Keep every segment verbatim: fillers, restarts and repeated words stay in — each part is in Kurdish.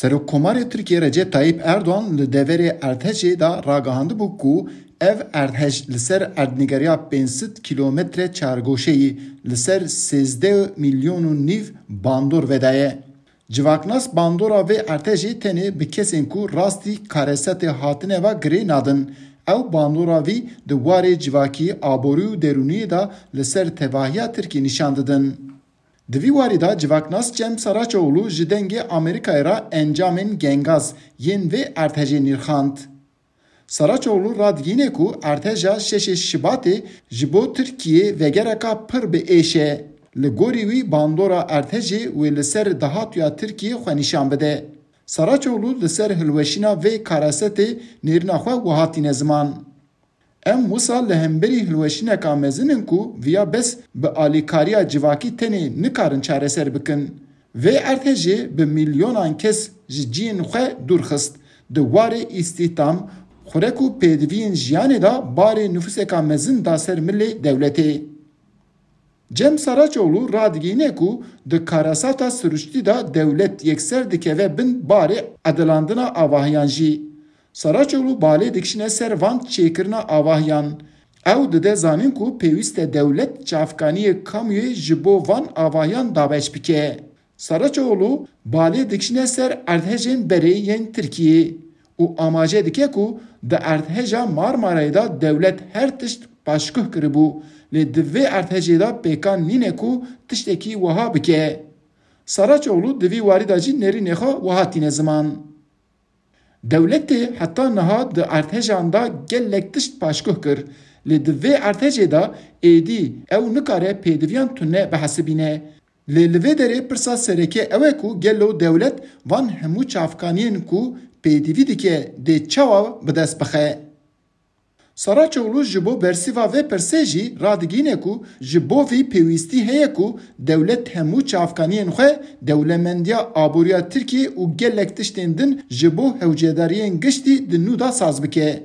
Serokkomarê Tirkiyê Recep Tayyip Erdogan li deverê erdhejê de ragihandibû ku ev erdhej li ser erdnîgeriya pênc sed kîlometre çargoşeyî li ser sêzdeh milyon û nîv bandor vedaye. Civaknas bandora vê erdhejê tenê bi kesên ku rastî karesetê hatine ve girê nadin. Ew bandora vî di warê civakî, aborî û derûniyê de li ser tevahiya Tirkiyê nîşan didin. Di vî warî de civaknas Cem Saraçoğlu ji Dengê Amerîkayê re encamên gengaz yên vê erdhejê nirxand. Saraçoğlu radigihîne ku erdheja şeşê Şibatê ji bo Tirkiyê vegereka pir bi êş e. Li gorî wî bandora erdhejê wê li ser dahatûya Tirkiyê xwe nîşan bide. Saraçoğlu li ser hilweşîna vê karesetê nêrîna xwe wiha tîne ziman. Em wisa li hemberî hilweşîneka mezin in ku viya bes bi alîkariya civakî tenê nikarin çareser bikin. Vê erdhejê bi milyonan kes ji ciyên xwe dûr xist. Di warê îstîhdam, xurek û pêdiviyên jiyanê de barê nifûseka mezin da ser milê dewletê. Cem Saraçoğlu radigihîne ku di karesata siruştî de dewlet yekser dikeve bin barê edilandina avahiyan jî. Saraçoğlu balê dikişîne ser van çêkirina avahiyan. Ew dide zanîn ku pêwîst e dewlet çavkaniyê kamûyê ji bo van avahiyan dabeş bike. Saraçoğlu balê dikişîne ser erdhejên berê yên Tirkiyê û amaje dike ku di erdheja Marmarayê de dewlet her tişt paşguh kiribû, lê di vê erdhejê de pêkan nîne ku tiştekî wiha bike. Saraçoğlu di vî warî de jî nêrînê xwe wiha tîne ziman. Dewletê heta niha di erdhejan de gelek tişt paşguh kir, lê di vê erdhejê de êdî ew nikare pêdiviyan tune bihesibîne. Lê li vê derê pirsa sereke ew e ku gelo dewlet van hemû çavkaniyên ku pêdivî dike dê çawa bi dest bixe? Saraçoğlu ji bo bersîva vê pirsê jî radigihîne ku ji bo vî pêwîstî heye ku dewlet hemû çavkaniyên xwe, dewlemendiya aboriya Tirkiyê û gelek tiştên din ji bo hewcedariyên giştî di nû de saz bike.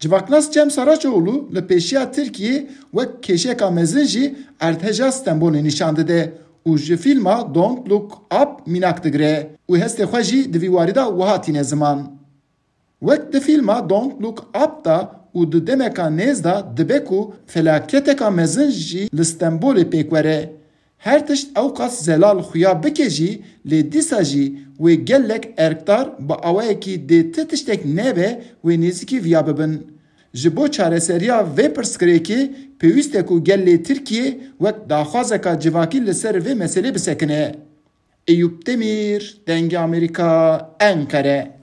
Civaknas Cem Saraçoğlu li pêşiya Tirkiyê wek kêşeka mezin jî erdheja Stenbolê nîşan dide û ji fîlma Don't Look Up mînak digire û hestê xwe jî di vî warî de wiha tîne ziman. Wek di fîlma Don't Look Up de û di demeka nêz de dibe ku felaketeka mezin jî li Stenbolê pêk were. Her tişt ewqas zelal xuya bike jî, lê dîsa jî wê gelek erkdar bi awayekî dê ti tiştek nebe wê nêzîkî viya bibin. Ji bo çareseriya vê pirsgirêkê pêwîst e ku gelê Tirkiyê wek daxwazeka civakî li ser vê meselê bisekine. Eyûp Demîr, Dengê Amerîka, Enqere.